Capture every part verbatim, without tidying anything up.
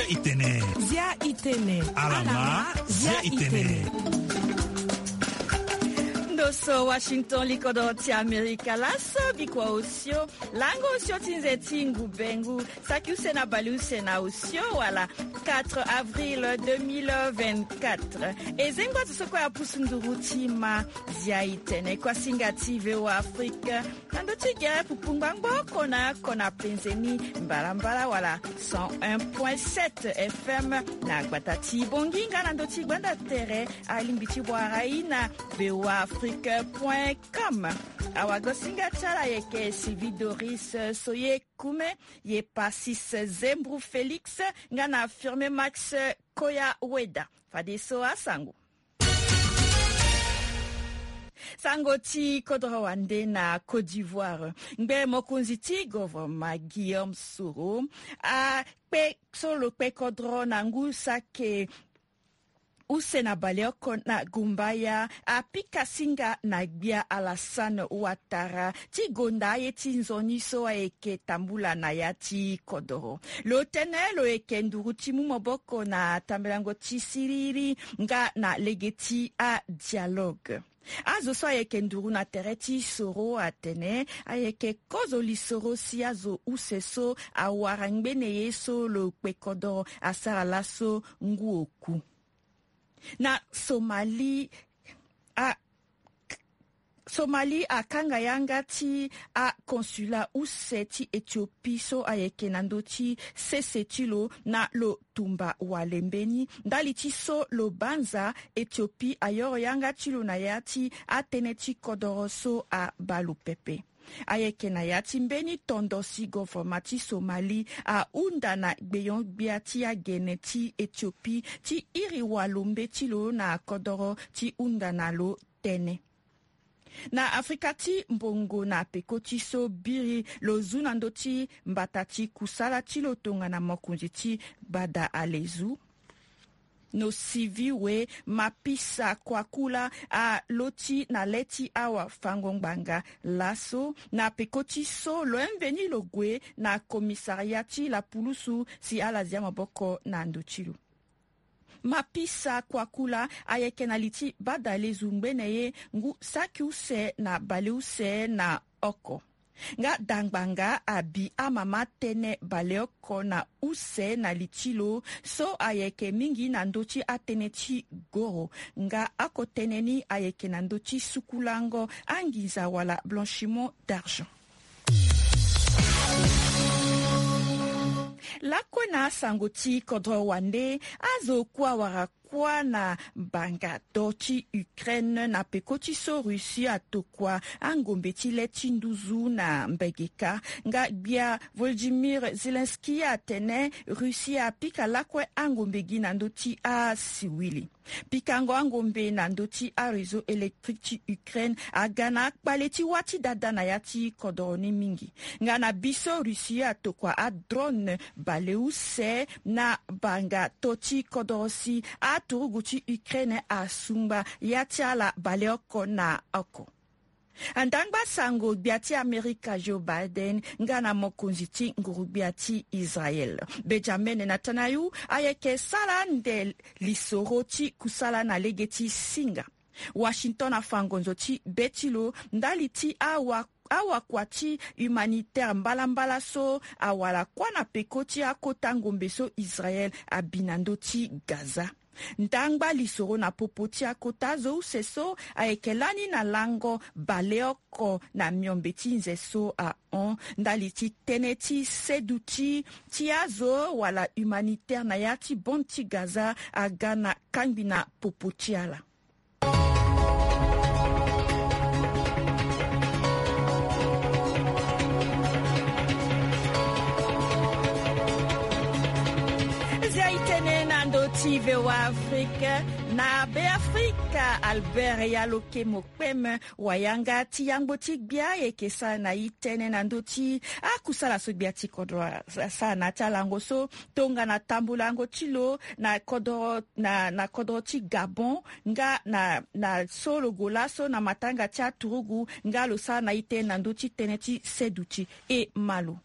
Itene. Zia itene. Alama. Zia itene. Ndo so Washington, likodoro ti Amerika. Laso bikua osio, lango osio ti nze ti ngu bengu, saki use na bale use na osio wala quatre avril deux mille vingt-quatre. E zengba zo so kue apusu nduru ti ma. Zia itene, kuasinga ti V O A Afrique. Na ndo ti gere pupu ngbangbo oko na oko na penze ni, mbalambala wala cent un point sept F M na gbata ti Bongi nga na ndo ti gbanda tere alingbi ti wara i na V O A Afrique point com. Awagosinga ti ala ayeke Sylvie Doris Soye Kume, ye Pasis Zembru Félix nga na Firme Max Koya Weda. Fadeso asango. Sango ti kodro wande na Côte d'Ivoire. Ngbe mokonzi ti govoroma Guillaume Soro akpe so lo kpe kodro na ngu sake use na baleoko na Gumbaya, apika singa na gbia Alassane Ouattara ti gonda aye ti nzoni so ayeke tambula na ya ti kodoro. Lo tene lo yeke nduru ti mu maboko na tambelango ti siriri nga na lege ti adialogue. Azo so ayeke nduru na tere ti Soro atene ayeke kozo lisoro si azo use so awara ngbene ye so lo kpe kodoro asara laso ngu oku. Na Somalie, a Somalie akanga yanga ti aconsulat use ti Éthiopie so ayeke na ndö ti sese ti lo na lo tumba wale mbeni. Ndali ti so lo banza, Éthiopie ayoro yanga ti lo na ya ti atënë ti kodoro so abaa lo pepe. Ayeke na ya ti mbeni tondo si govoroma ti Somalie ahunda na gbeyon-gbia ti agene ti Éthiopie ti iri walombe ti lo na kodoro ti hunda na lo tënë. Na Afrika ti mbongo na peko ti so biri lo zu na ndö ti mbata ti kusala ti lo tongana mokonzi ti gbada alezu. Nosiviwe Mapisa Kwakula aloti na le ti awa fango ngbanga laso na peko ti so lo mveni lo gue na commissariat ti lapulusu si ala zia maboko na ndo ti lo. Mapisa Kwakula ayeke na li ti gbada alezu ngbene ye ngu saki use na baleuse na oko. Nga dangbanga abi amama tënë baleoko na use na li ti lo so ayeke mingi na ndö ti atënë ti goro. Nga oko tënë ni ayeke na ndö ti sukulango anginza wala blanchiment d'argent. Lakue na asango ti kodro wande, azo kue awara kuâ na banga do ti Ukraine na peko ti so Russie atokua angombe ti le ti nduzu na mbege kâ. Nga gbia Volodymyr Zelensky atene Russie apika lakue angombe gi na ndö ti asiwili. Pikango angombe na ndö ti aréseau électrique ti Ukraine aga na akpale ti wâ ti dada na ya ti kodoro ni mingi. Nga na biso Russie atokua adrone baleuse na banga to ti kodoro si aturugu ti Ukraine asungba ya ti ala baleoko na oko. Andangba sango gbia ti Amerika Joe Biden nga na mokonzi ti nguru-gbia ti Israel Benjamin Netanyahu ayeke sara ande lisoro ti kusala na lege ti singa. Washington afa ngonzo ti be ti lo ndali ti awa awakua ti humanitaire mbalambala so awara kuâ na peko ti akota ngombe so Israel abi na ndö ti Gaza. Ndangba lisoro na popo ti akota azo use so ayeke lani na lango baleoko na miombe ti nze so ahon ndali ti tënë ti seduti ti azo wala humanitaire na ya ti bande ti Gaza aga na kangbi na popo ti ala. Zia itene na ndö ti V O A Afrique na Beafrika, Albert Yaloke Mokpeme, wayanga ti yangbo ti gbia ayeke sara na i tënë na ndö ti akusala so gbia ti kodro asara na ya ti alango so tongana tambulango ti lo na kodro na, na kodro ti Gabon nga na, na so lo gue laso na matanga ti aturugu nga lo sara na i tënë na ndö ti tënë ti seduti e ma lo.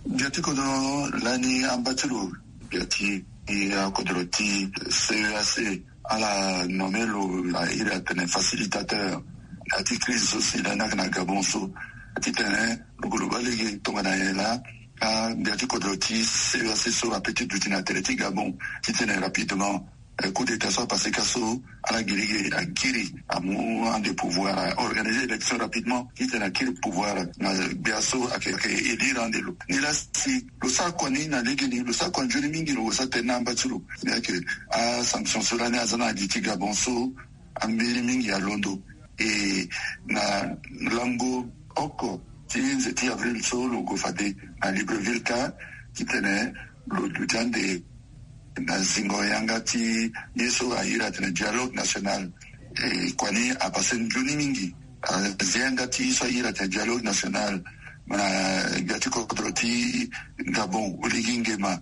Gbia ti kodro lani amba ti lo Gbia ti akodro ti C E A C, ala nommé lo, la iri atene facilitateur na ya ti crise so si la ni ayeke na Gabon so. Titene lo gue lo baa lege tongana nyen laa, ah, gbia ti kodro ti C E A C so apeut ti duti na tere ti Gabon. Titene rapidement, eh, coup d'état so apasé ka so, ala gi lege akiri, amu ande pouvoir, a organiser élection rapidement, titene akiri pouvoir na gbia so ayeke, ayeke élire ande lo. Nilaa si lo sara kua ni na legeni, lo sara kua nzoni mingi, lo sara tënë na amba ti lo. Ni ayeke asanction so lani aza na li ti Gabon so, ambeni mingi alondo. E na lango oko ti nze ti avril so, lo gue fade na Libreville ka, titene lo duti ande na zingo yanga ti ye so airi atene dialogue national. E kua ni apasé nzoni mingi. Azi yanga ti ye so airi atene dialogue national na gbia ti kodro ti Gabon, Oligui Nguema.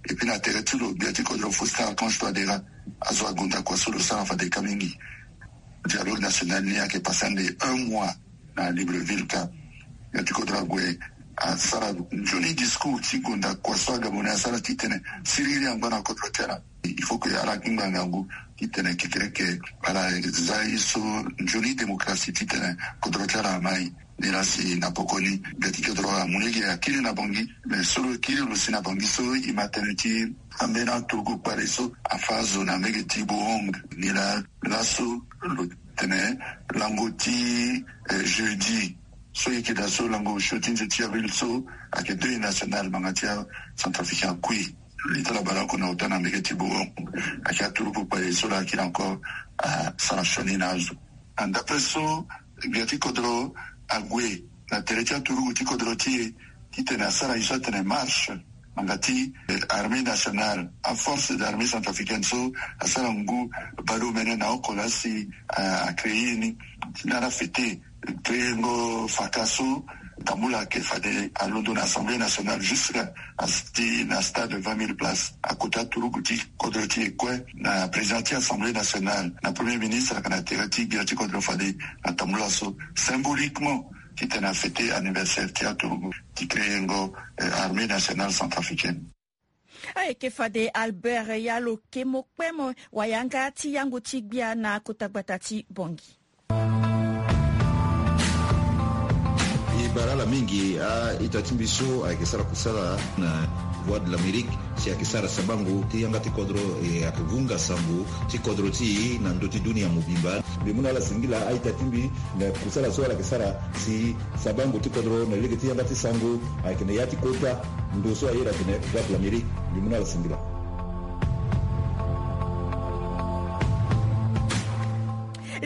Et puis na tere ti lo, gbia ti kodro Faustin Archange Touadéra azo agonda kua so lo sara fade ka mingi. Dialogue national ni ayeke pasé ande un mois na Libreville ka. Gbia ti kodro ague asara nzoni discours ti gonda kua so Agabonais asara titene siriri angba na kodro ti ala. Il faut que ala kingba ngangu titene kekereke ala za ye so nzoni démocratie titene kodro ti ala amai. Nilaa si na poko ni gbia ti kodro amu lege akiri na Bangui. Mais so lo kiri lo si na Bangui so, e ma tënë ti ambeni aturugu kpale so afâ azo na mbege ti Bohong. Nilaa laso lo tene lango ti, eh, jeudi so e yeke daa so, lango osio ti nze ti avril so, ayeke deuil national, ngbanga ti acentrafricain akui. Li ti ala baleoko na ota na mbege ti Bohong. Ayeke aturugu kpale so laa akiri encore asara sioni na azo. And d'après so, gbia ti kodro ague na tere ti aturugu ti kodro ti e, titene asara ye so atene marche, ngbanga ti, eh, armée nationale, aforce d'armée centrafricaine so asara ngu baleomene na oko laa si, ah, acréé ni, ti na ala fêter créengo faka so, tambula ayeke fade alondo na Assemblée nationale jusqu'à, asti na stade vingt mille places. Akota turugu ti kodro ti e kue, na président ti Assemblée nationale, na premier ministre ayeke na tere ti gbia ti kodro fade na tambula so, symboliquement, titene afêter anniversaire ti aturugu ti créengo, eh, armée nationale centrafricaine. Ayeke fade Albert Yalo Kemo Kpemo, wayanga ti yango ti gbia na kota gbata ti Bangui. E bara ala mingi a-ita ti mbi so ayeke sara kusala na Voix de l'Amérique, si ayeke sara sabango ti yanga ti kodro, e ayeke vunga sango ti kodro ti e na ndö ti dunia mobimba. Mbi mu na ala singila a-ita ti mbi na kusala so ala yeke sara si sabango ti kodro na lege ti yanga ti sango ayeke na ya ti kota ndo so aye atene Voix de l'Amérique. Mbi mu na ala singila.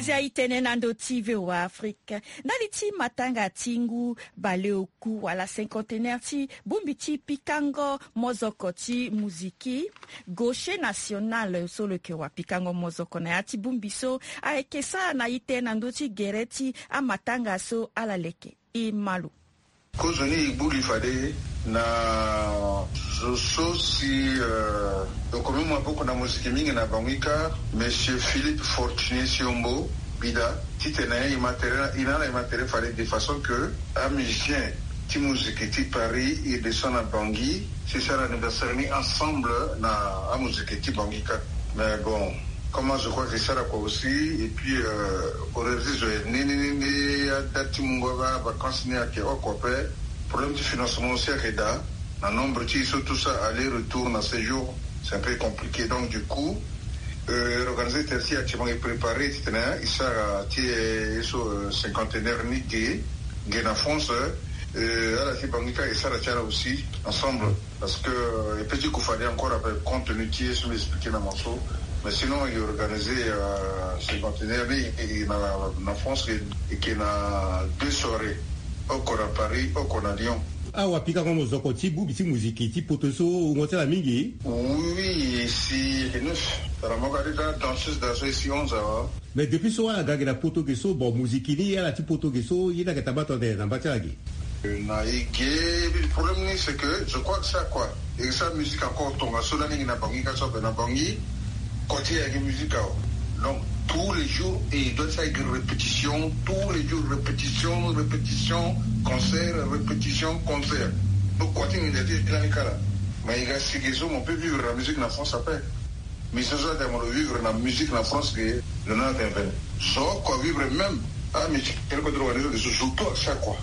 Zia e tene na ndö ti V O A Afrique. Ndali ti matanga ti ngu baleoku wala cinquantenaire ti bongbi ti pikango mozoko ti muziki, Gaucher National so lo yeke wa pikango mozoko na ya ti bongbi so ayeke sara na ite na ndö ti gere ti amatanga so ala leke. E ma lo. Kozoni e gbu li fade na zo so si, euh, lo komi maboko na moziki mingi na Bangui kâ, Monsieur Philippe Fortuné Siombo Bida, titene e ma tere, e na ala e ma tere fade de façon que amusicien ti moziki ti Paris e descend na Bangui, si e sara anniversaire ni ensemble na amoziki ti Bangui kâ. Mais bon, comme je crois que e sara kua aussi, et puis, euh, horaire ti zo e ni ni ni ni, adate ti mungo avacances ni ayeke oko ape. Problème ti financement aussi ayeke daa. Na nombre ti e so tout ça, aller-retour na séjour, c'est un peu compliqué. Donc du coup, euh, organisateur ti e actuellement e préparer titene e sara ti e so, euh, cinquantenaire ni ge, ge na France, euh, ala ti Bangui kâ e sara ti ala aussi ensemble. Parce que, euh, e peut ti gue fade encore après, compte tenu ti ye so mbi expliquer na mo so. Mais sinon e organiser, euh, cinquantenaire ni, e, e na, na France, e, e yeke na deux soirées. Oko na Paris, oko na Lyon. Awa pikango mozoko ti bongbi ti muziki ti poto so wungo ti ala mingi. Oui, e si e yeke neuf. Tara moko ade ti danseuse daa so e si onze awa. Mais depuis so ala ga ge na poto ge so, bon, muziki ni ala ti poto ge so ye ni ayeke tambula tene na mba ti ala ge. Na e ge, le problème ni c'est que je crois que ça quoi, e sa musique encore tongaso lani e yeke na Bangui kâ so ape na Bangui, kua ti e ayeke musique awe. Donc tous les jours e doit ti sara répétition, tous les jours répétition, répétition, concert, répétition, concert. Donc kua ti nginza ti e lani kâ laa. Mais il a signé ça, on peut vivre la musique en France après. Mais c'est ça, on vivre la musique en France que le nom est venu. So, quoi, vivre même. Ah, mais tu quel côté on est, surtout à chaque quoi.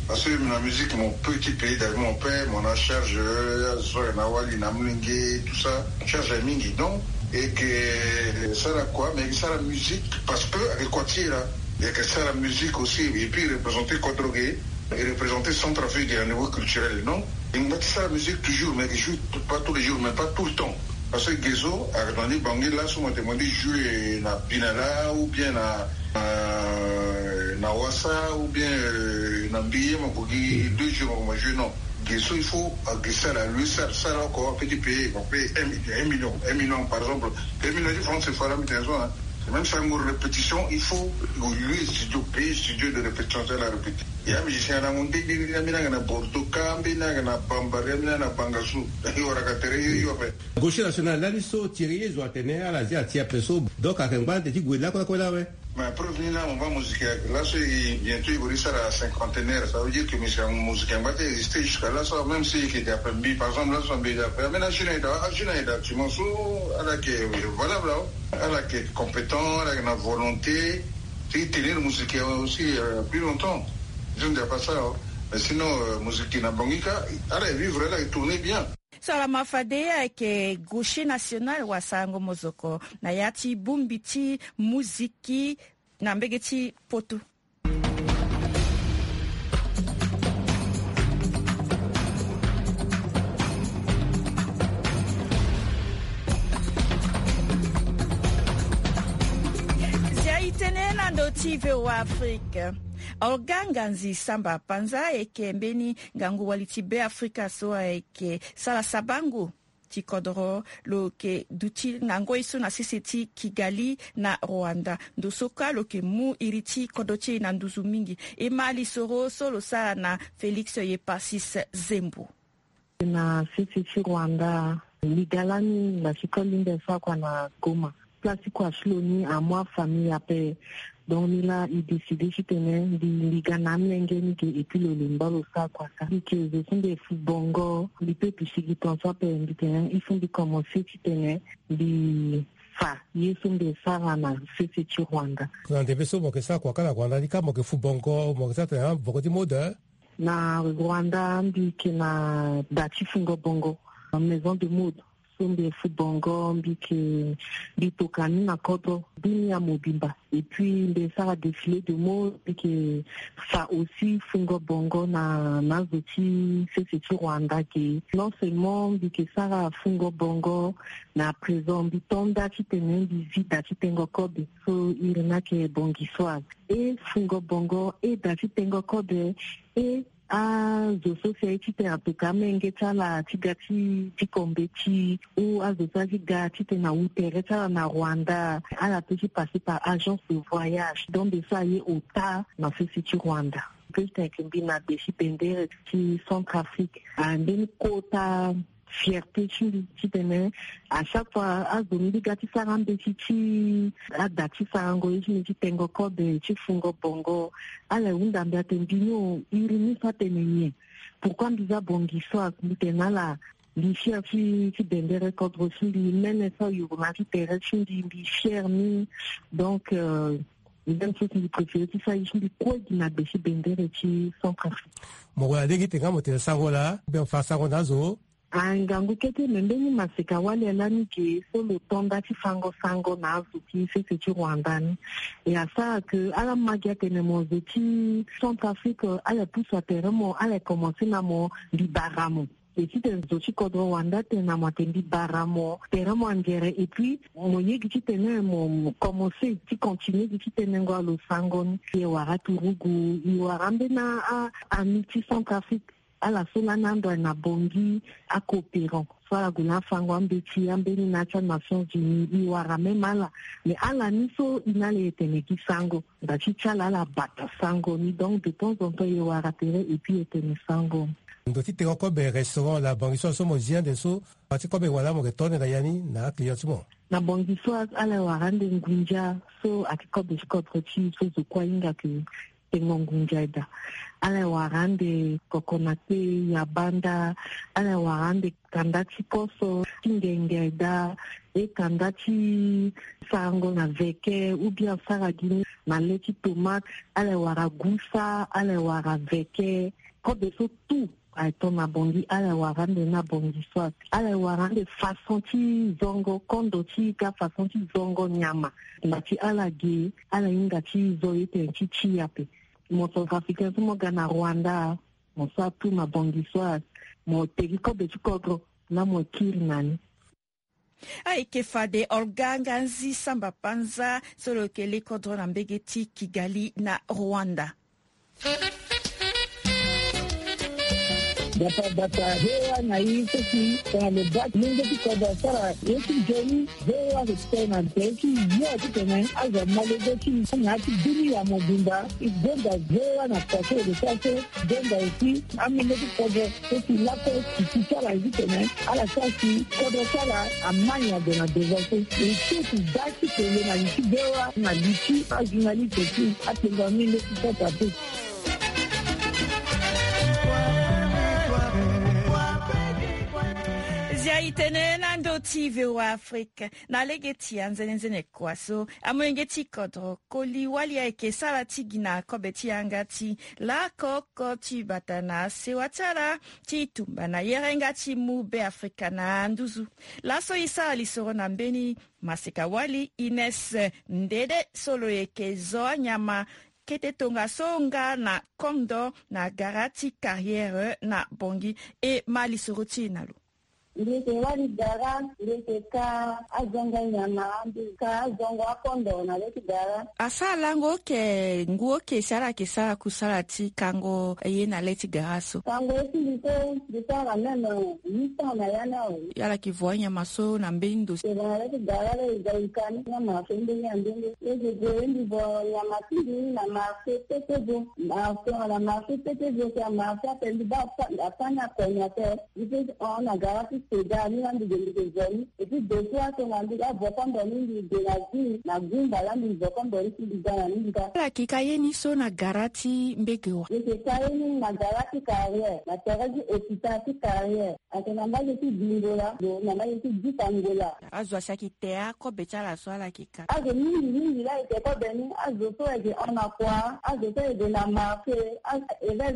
Parce que la musique, mon petit pays, dans mon père, mon a charge, euh, so, na wali, na mlingue, tout ça, charge à mingi, donc, et que ça la quoi, mais ça la musique, parce que avec quoi tu es là, il y a que ça la musique aussi, et puis représenter Kodro Gay, et représenter Centrafrique à un niveau culturel, non? Il me dit ça la musique toujours, mais je joue pas tous les jours, mais pas tout le temps. Parce que Gezo, à Rwanda, Bangui, là, souvent, t'es demandé jouer na Binala, ou bien na, euh, na Wassa, ou bien, euh, na Mbiye, ma Bogi, deux jours, ma jouer, non. Gezo, il faut, à Gezo, là, lui, ça, ça, là, encore, petit pays, on paye un million, un million, par exemple. Un million de francs, c'est fort, là, mais t'es raison, hein. Même sans répétition, il faut lui studio, payer studio de répétition, c'est la répétition. Il y a un musicien à la montée, il y a un Bordeaux, Kambi, il y a un Bambari, il y a un Bangassou. Il y aura qu'à terre, il y aura. Gaucher national lani so ti iri ye zo atene ala zia ti ape so. Donc ayeke ngba ande ti gue lakue lakue la awe. Mais preuve ni la, on va musique là, so bientôt il va réussir à cinquantenaire. Ça veut dire que monsieur musique en bas existe jusqu'à là, ça, même si il était après mbi, par exemple, là, son mbi après. Mais là, je n'ai pas, je n'ai pas, tu m'en sous, alors que, voilà, voilà. Ala yeke compétent, ala yeke na volonté ti tenir musique aussi, euh, plus longtemps. Je ne dis pas ça, hein. Mais sinon, euh, musique na Bangui ka, ala yeke vivre, ala yeke tourner bien. So ala ma fade ayeke gaucher national wasarango mozoko na ya ti bongbi ti musique na mbege ti poto. Zia e tene na ndö ti V O A Afrique. Orga Nganzi Samba Panza ayeke mbeni ngangu wali ti Beafrika so ayeke sara sabango ti kodro lo yeke duti na ngoi so na sese ti Kigali na Rwanda. Ndo so kâ lo yeke mu iri ti kodro ti e na nduzu mingi. E ma lisoro so lo sara na Félix Yepasis Zembo. Na sese ti Rwanda, liga lani na ti koli nde so akua na Goma. Place ti kua ti lo ni amu afamille ape. Donc ni la e décidé titene mbi liga na amolenge ni ge, et puis lo lemba lo sara kua ka. Mbi yeke zo so mbi fu bongo, mbi peut pisigi tongaso ape mbi tene il faut mbi commencer titene mbi fa ye so mbi sara na sese ti Rwanda. Na ndembe so mo yeke sara kua ka na Rwanda ni ka mo yeke fu bongo, mo yeke sara tene boko ti mode? Na Rwanda mbi yeke na da ti fungo bongo, maison de mode. So mbi fu bongo, mbi yeke, mbi toka ni na kodro, bini ya mobimba. Et puis mbi sara défilé de mode, mbi yeke fa aussi fungo bongo na, na zo ti sese ti Rwanda ge. Non seulement mbi yeke sara fungo bongo, mais à présent mbi to nda titene mbi zi da ti tengo kobe. So iri ni ayeke bongisoise. E fungo bongo e da ti tengo kobe, e azo so si aye titene ape ka amenge ti ala ti ga ti, ti kombe ti, ou azo so aye ti ga titene awu tere ti ala na Rwanda, ala peut ti passer par agence de voyage. Donc nde so aye ota na sese ti Rwanda. Peut ti tene ayeke mbi na be ti bendere ti Centrafrique. Ah, mbeni kota fierté ti mbi titene à chaque fois azo ni mbi ga ti sara mbeti ti ada ti sarango ye ti mbi ti tengo kobe ti fungo bongo. Ala hunda mbi atene mbi ni o, iri ni so atene nyen? Pourquoi mbi za bongisoise? Mbi tene na ala mbi fier ti, ti bendere kodro ti mbi, mene so ayuru na ya ti tere ti mbi, mbi fier ni. Donc, euh, même chose mbi préféré ti sara ye ti mbi kue gi na be ti bendere ti Centrafrique. Mo wara lege ti tene nga mo tene sango laa, ou bien mo fa sango na azo? Ah, ngangu kete, me mbeni maseka wali lani ge so lo to nda ti fango sango na azo ti sese ti Rwanda ni. E asara ke ala ma gi atene mo zo ti Centrafrique, ala pusu atere mo, ala commencé na mo mbi bara mo. E titene zo ti kodro Rwanda atene na mo atene mbi bara mo, tere mo angere, et puis mo yege titene mo, mo commencé ti continuer gi ti tenengo alo sango ni. E wara turugu, e wara mbeni a, a, ami ti Centrafrique. Ala so lani ando ayeke na Bangui, acoopérant so ala gue na afango ambeti ambeni na ya ti aNations Unies, e wara même ala. Mais ala ni so e na ala e tene gi sango, nda ti ti ala ala bata sango ni. Donc de temps en temps e wara tere et puis e tene sango. Ndo ti tengo kobe restaurant la Bangui so, so mo zi ande so, pa ti kobe wala mo yeke to ande na ya ni na aclient ti mo? Na Bangui so ala e wara ande ngunza so ayeke kobe ti kodro ti e so zo kue ahinga ke Tengo ngunza eda. Ala e wara ande kokonate ya banda. Ala e wara ande kanda ti koso ti ngenga eda. E kanda ti sarango na veke ou bien sara gi na le ti tomate. Ala e wara gusa, ala e wara veke. Kobe so tout aye ton na bongi, ala e wara ande na bongi so ate. Ala e wara ande façon ti zongo kondo ti ika, façon ti zongo nyama. Na ti ala ge ala hinga ti zo ye tene ti ti ape. Mo centrafricain so mo ga na Rwanda, mo sa tu na bongi so ate. Mo tegi kobe ti kodro na mo kiri na ni. Ayeke fade Olga Nganzi Samba Panza so lo yeke le kodro na mbege ti Kigali na Rwanda. Bata bata, V O A na i so si tongana lo baa ti lenge ti kodro asara ye ti nzoni. V O A ayeke tene na tere ti yo titene azo amolenge ti na ya ti dunia mobimba. E gonda V O A na poto so e yeke sara so. Gonda aussi amolenge ti kodro so si lakue ti ti ti ala ye titene ala sara si kodro ti ala ama nyen ado na devant so. E ti ti baa ti tene na li ti V O A na li ti ajournaliste ti apengo amolenge ti sota pe. Zia e tene na ndö ti V O A Afrique. Na lege ti anzenenzene kua so amolenge ti kodro Koli Wali ayeke sara ti gi na kobe ti yanga ti lako oko ti bata na sewa ti ala ti tumba na yere nga ti mu Beafrika na nduzu. Laso e sara lisoro na mbeni Maseka Wali Ines Ndede so lo yeke zo anyama kete tongaso nga na kondo na gara ti carrière na Bongi. E ma lisoro ti e na lo. Mbi yeke wali gara, mbi yeke ka azongo nyama, mbi yeke ka azongo akondo na le ti gara. Asara lango oke ngu oke si ala yeke sara kusala ti kango ye na le ti gara so. Kango ye ti mbi so mbi sara même huit ans na ya ni awe. Ala yeke vo anyama so na mbeni ndo so. Eke vo na le ti gara lo e ga e ka ni na marché ndenge na ndenge. Lo eke gue ye mbi vo nyama ti mbi na marché Petebo. Marché na marché Petebo si amarché ape mbi baa afani akoni ape. Mbi pe hon na gara ti Seda ni laa mbi gue mbi ke vo ni. Et puis deux fois so na mbi laa vo kondo ni mbi gue na Gui na Gumba laa mbi vo kondo ni si mbi ga na ni mbi ga. Ala yeke ka ye ni so na gara ti mbege wa? Mbi yeke ka ye ni na gara ti carrière na tere ti hôpital ti carrière. Ayeke na mbage ti Bingola lo na mbage ti Dita Ngola. Azo asi ayeke te akobe ti ala so ala yeke Azo mingi mingi laa e ke kobe ni, azo so e ke hon na kua, azo so e ke na marché, azo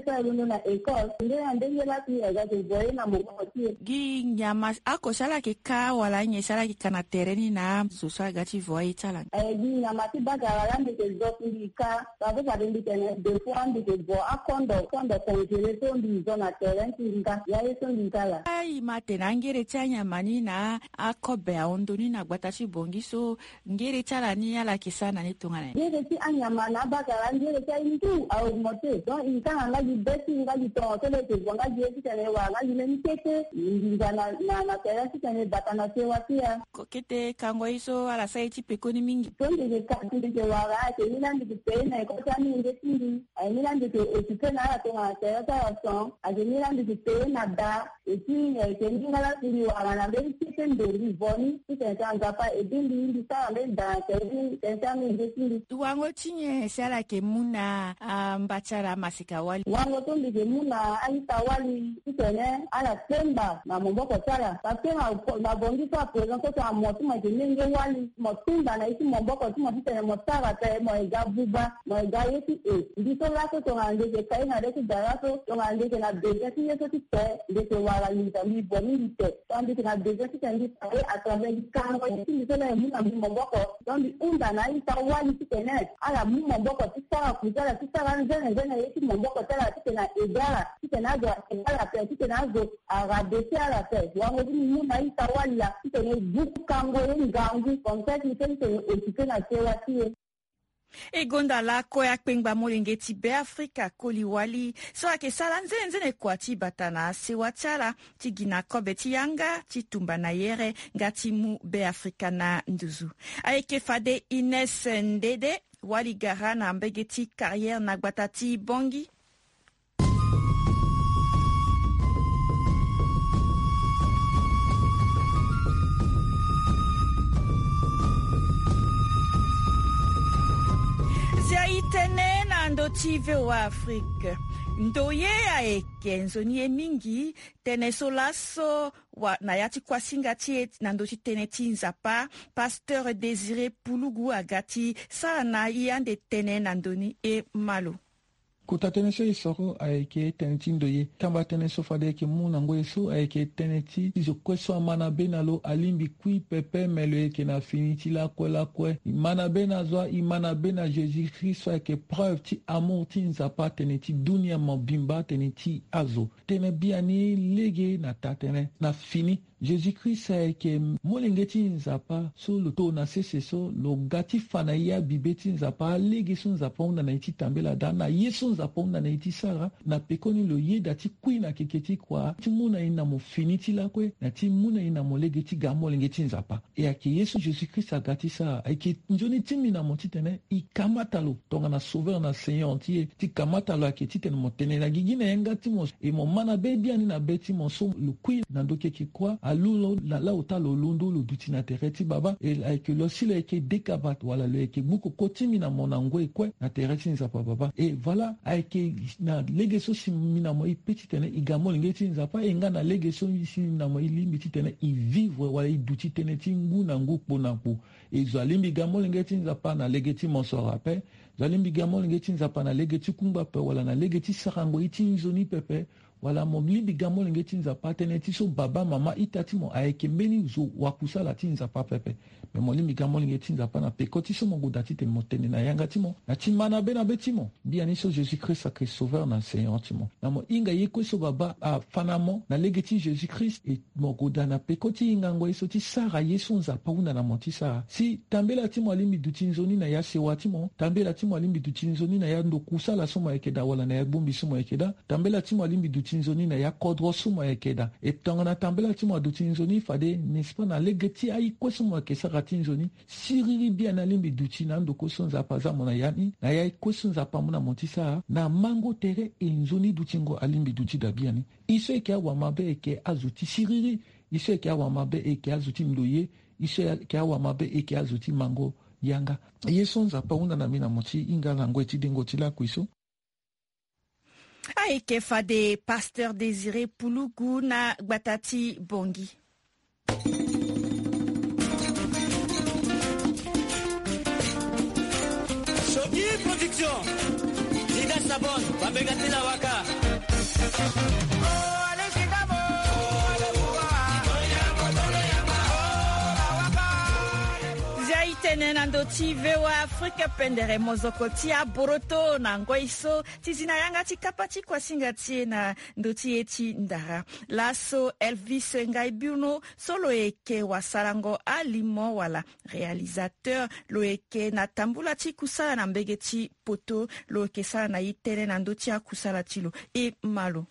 so e londo na école. Ndenge na ndenge laa si e ga e ke vo ye na moboko ti e. Gi nyama oko si ala yeke ka wala nyen si ala yeke ka na tere ni na azo so aga ti vo aye ti ala? Eh, gi nyama ti bagara laa mbi ke zo si mbi ka. Parce que fade mbi tene deux fois mbi ke vo akondo, kondo congelé so mbi zo na tere ti mbi ka. Ya ye so mbi ka laa. Ayi ma tene angere ti anyama ni na akobe ahon ndoni na gbata ti Bongi so, ngere ti ala ni ala yeke sara na ni tongana nyen? Ngere ti anyama na abakara, ngere ti aye ni tout a augmenté. Donc e ka na nga gi be ti nga gi tongo so lo yeke vo nga gi ye titene e wara nga gi mbeni kete nginza na na na tere titene e bata na sewa ti e. Kete kango ye so ala sara ye ti pekoni mingi. So mbi yeke ka mbi yeke wara ayeke ni laa mbi yeke payé na école ti amolenge ti mbi. Ayeke ni laa mbi yeke occupé na ala tongana tere ti ala son. Ayeke ni laa mbi yeke payé na da. Et puis ayeke ni nga laa si mbi wara na mbeni kete ndo mbi vo ni titene so Nzapa e bi mbi mbi sara mbeni da na tere ti tene ti amolenge ti mbi. Wango ti nyen si ala yeke mu na amba ti ala amaseka wali? Wango so mbi yeke mu na a-ita wali titene ala kpengba na maboko ti ala. Parce que na Bongi so à présent so tongana mo so mo yeke lenge wali mo kpengba na ye ti maboko ti mo titene mo sara ape mo yeke ga buba. Mo yeke ga ye ti e. Mbi so laso tongana mbi yeke ka ye na le ti gara so tongana mbi yeke na besoin ti ye so ti te mbi yeke wara nginza mbi vo ni mbi te. Tongana mbi yeke na besoin titene mbi sara ye à travers mbi kango ye ti mbi so laa e mu na mbi maboko. Donc mbi hunda na a-ita wali titene ala mu maboko ti sara kuza ala ti sara anzene nzene ye ti maboko ti ala titene a aidé ala titene azo a aidé ala ape titene azo a rabaisser ala ape. Wango ti mbi mu na a-ita wali laa titene e buku kango ye ngangu comme ça ti mbi so titene e occupé na sewa ti e. E gonda lakue akpengba molenge ti Beafrika Koli Wali so ayeke sara nzene nzene kua ti bata na sewa ti ala ti gi na kobe ti yanga ti tumba na yere nga ti mu Beafrika na nduzu. Ayeke fade Ines Ndede, wali gara na mbege ti carrière na gbata ti Bongi. Zia e tene na Na ndö ti V O A Afrique, ndoye ayeke nzoni ye mingi. Tënë so laso wa na ya ti kuasinga ti e na ndö ti tënë ti Nzapa, Pasteur Désiré Pulugu aga ti sara na e ande tënë na ndö ni, e ma lo. Kota tënë so e soro ayeke tënë ti ndoye. Kamba tënë so fade e yeke mu na ngoi so ayeke tënë ti zo kue so ama na be na lo alingbi kui pepe, me lo yeke na fini ti lakue lakue. E ma na be na zo, e ma na be na Jésus Christ so ayeke preuve ti amour ti Nzapa, tënë ti dunia mobimba, tënë ti azo. Tënë biani lege na taa-tënë. Na fini, Jésus Christ ayeke molenge ti Nzapa so lo to na sese so lo ga ti fa na e abibe ti Nzapa, alege so Nzapa ahunda na e ti tambela daa, na ye so Nzapa ahunda na e ti sara. Na pekoni lo yeda ti kui na keke ti kua ti mu na e na mo fini ti lakue, na ti mu na e na mo lege ti ga molenge ti Nzapa. E ayeke ye so Jésus Christ aga ti sara. Ayeke nzoni ti mbi na mo titene e kamata lo tongana Sauveur na Seigneur ti e. Ti kamata lo ayeke titene mo tene na gigi na yanga ti mo, e mo ma na be biani na be ti mo so lo kui na ndö keke kuâ, alu lo na la ota lo londo, lo duti na tere ti Baba. E ayeke lo si lo yeke dekaba wala lo yeke gbu koko ti mbi na mo na ngoi kue na tere ti Nzapa Baba. E voilà, ayeke na lege so si mbi na mo e pe titene e ga molenge ti Nzapa, e nga na lege so si mbi na mo e lingbi titene e vivre wala e duti tënë ti ngu na ngu, kpo na kpo. E zo alingbi ga molenge ti Nzapa na lege ti mosoro ape. Zo alingbi ga molenge ti Nzapa na lege ti kungba ape wala na lege ti sarango ye ti nzoni pepe. Wala mo lingbi ga molenge ti Nzapa tënë ti so baba, mama, ita ti mo ayeke mbeni zo wakusala ti Nzapa pepe. Me mo lingbi ga molenge ti Nzapa na peko ti so mo goda titene mo tene na yanga ti mo na ti ma na be na be ti mo. Biani so Jésus Christ ayeke Sauveur na Seigneur ti mo, na mo hinga ye kue so Baba afa na mo na lege ti Jésus Christ. E mo goda na peko ti hingango ye so ti sara ye so Nzapa ahunda na mo ti sara. Si tambela ti mo alingbi duti nzoni na ya sewa ti mo, tambela ti mo alingbi duti nzoni na ya ndo kusala so mo yeke daa wala na ya bongbi so mo yeke daa, tambela ti mo alingbi duti nzoni na ya kodro so mo yeke daa. E tongana tambela ti mo aduti nzoni, fade, n'est-ce pas, na lege ti aye kue so mo yeke sara ti nzoni, siriri biani alingbi duti na ando kue so Nzapa aza mo na ya ni, na ya kue so Nzapa amu na mo ti sara. Na mango tere e nzoni dutingo alingbi duti daa biani. E so e yeke awamabe e yeke azo ti siriri. E so e yeke awamabe e yeke azo ti ndoye. E so e yeke awamabe e yeke azo ti mango yanga. Ye so Nzapa ahunda na mbi na mo ti hinga na ngoi ti dengo ti lakui so. Ayeke fade Pasteur Désiré Pulugu na gbata ti Bangui. Shoki Production, Zida Sabon, Babega Tila Waka. Zia e tene na ndö ti V O A Afrique pendere mozoko ti aboroto na ngoi so ti zi na yanga ti kapa ti kuasinga ti e na ndö ti e ti ndara. Laso Elvis Ngaibiono so lo yeke wasarango alimo wala réalisateur, lo yeke na tambula ti kusala na mbege ti poto, lo yeke sara na e tënë na ndö ti akusala ti lo. E ma lo.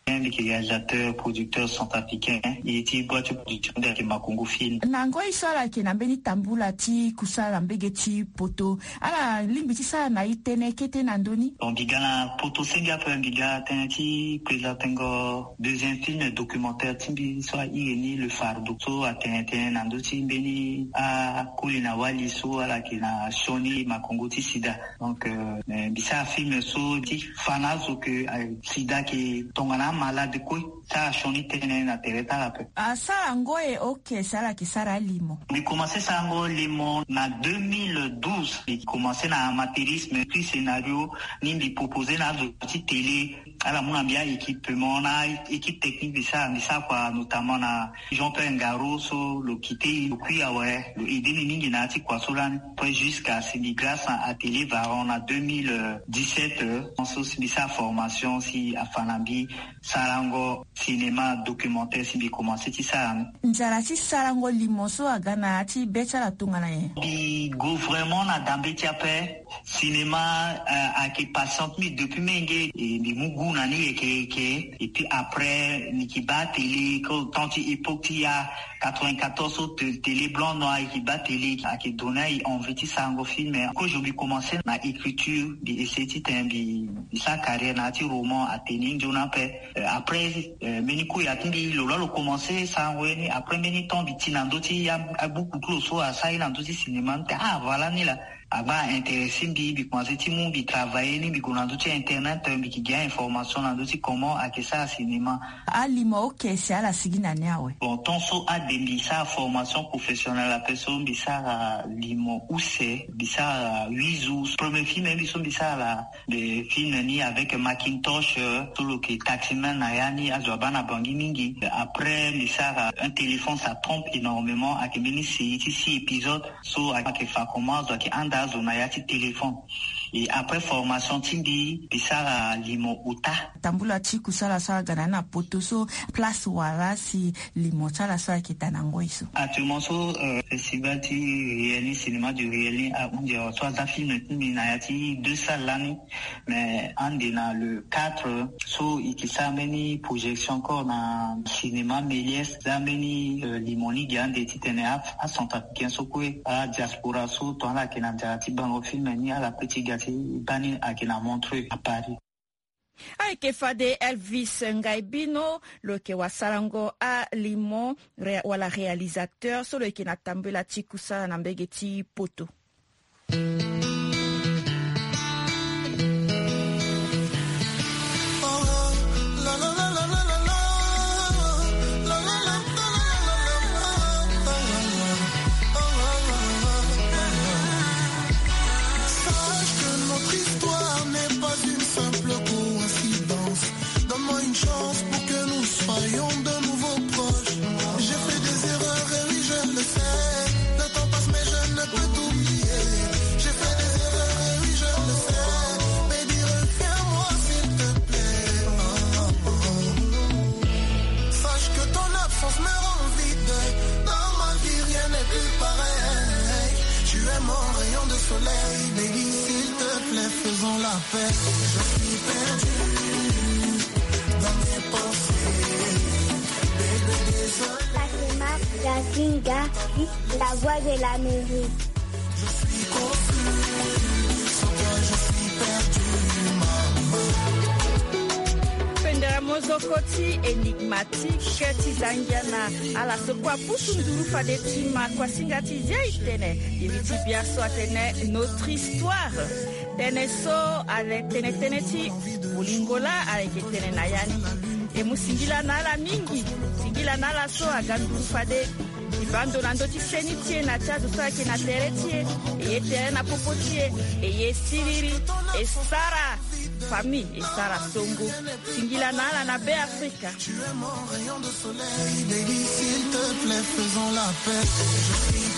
Mbi yeke réalisateur, producteur centrafricain. E ti boîte ti production nde ayeke Makongo Film. Na ngoi so ala yeke na mbeni tambula ti kusala na mbege ti poto, ala lingbi ti sara na e tënë kete na ndö ni? Bon, mbi ga na poto senge ape, mbi ga tënë ti présentengo deuxième film documentaire ti mbi so ahiri ni Le Fardeau, so atene tënë na ndö ti mbeni akoli na wali so ala yeke na sioni makongo ti sida. Donc, euh, eh, mbi sara film so ti fa na azo ke, eh, sida ayeke tongana amalade kue. Sara sioni tënë na tere ti ala ape. Asara yango e, ok, si ala yeke sara alimo? Mbi komanse sarango limo na deux mille douze. Mbi komanse na amateurisme, puis scénario ni mbi proposer na azo ti télé. Ala mu na mbi a-équipement na équipe technique, mbi sara, mbi sara kua notamment na Jean-Pierre Ngaro so lo kite e, lo kui awe, lo aider ni mingi na ya ti kua so lani. Après, jusqu'à si mbi grâce na Atelier Varan na deux mille dix-sept, euh, so si mbi sara formation si afa na mbi sarango cinéma documentaire si mbi komanse ti sara ni. Nzara ti sarango limo so aga na ya ti be ti ala tongana nyen? Mbi go vraiment na dambe ti ape. Cinéma, euh, ayeke passion ti mbi depuis menge, e mbi mu goût na ni yeke yeke. Et puis après, mbi yeke baa télé, ko temps ti époque ti ya quatre-vingt-quatorze so te-, télé blanc noir, e yeke baa télé, ayeke donner e envie ti sarango film. Kozo mbi komanse na écriture, mbi essayer titene mbi, mbi sara carrière na ya ti roman, atene nzoni ape. Euh, après, euh, mbeni koya ti mbi lo laa lo komanse sarango ye ni. Après mbeni temps mbi ti na ndö ti ya abuku ti lo so asara ye na ndö ti cinéma, mbi tene ah, voilà ni laa. Agba intéressé mbi, mbi commencé ti mu mbi travailler ni, mbi gue na ndö ti internet, mbi yeke gi a-information na ndö ti comment ayeke sara cinéma. Alimo oke si ala sigi na ni awe. Bon, tant so ade mbi sara formation professionnelle ape so mbi sara limo use, mbi sara huit jours. Premier film mbi so mbi sara la, le film ni avec Macintosh, euh, so lo yeke taximan na ya ni, azo abaa na Bangui mingi. Après mbi sara Un téléphone ça trompe énormément, ayeke mbeni série ti six épisodes. So ayeke fa comment azo ayeke handa azo na ya ti téléphone. Et après formation ti mbi, mbi sara limo ota. Tambula ti kusala so aga na ni na poto so, place wala si limo ti ala so ayeke daa na ngoi so? Actuellement so, euh, festival ti Réel ni, cinéma du Réel ni ahunzi awa so aza film ti mbi na ya ti deux salles lani. Mais ande na le quatre so e yeke sara mbeni projection encore na cinéma Méliès. Za mbeni, euh, limo ni gi ande titene a, acentrafricain so kue, adiaspora so tonga ala yeke na nzara ti bango film ni, ala pe ti ga ti baa ni, ayeke na Montreux à Paris. Ayeke fade Elvis Ngaibino, lo yeke wasarango alimo ré-, wala réalisateur so lo yeke na tambela ti kusala na mbege ti poto. Sache que notre histoire n'est pas une simple coïncidence. Donne-moi une chance pour que nous soyons de nouveau proches. J'ai fait des erreurs, et oui, je le sais. Le temps passe, mais je ne peux t'oublier. J'ai fait des erreurs, et oui, je le sais. Baby, reviens-moi, s'il te plaît. Sache que ton absence me rend vide. Dans ma vie, rien n'est plus pareil. Tu es mon rayon de soleil. Baby, s'il te plaît, faisons la paix. Je suis perdu dans mes pensées. Baby, désolé. Fatima Gazinga, la voix de l'Amérique. Je suis confus, sans toi je suis perdu, maman. Pendere mozoko ti énigmatique ti zangia na ala so kue apusu nduru fade ti ma kuasinga ti zia e tene. Iri ti bia so atene Notre histoire. Tënë so ale tene tënë ti bolingo laa ayeke tene na ya ni. E mu singila na ala mingi. Singila na ala so aga nduru fade. E baa ndo na ndö ti seni ti e na ti azo so ayeke na tere ti e. E ye tere na popo ti e. E ye siriri. E sara famille. E sara songo. Singila na ala na Be Afrika. Tu es mon rayon de soleil, baby, s'il te plaît, faisons la paix. Je suis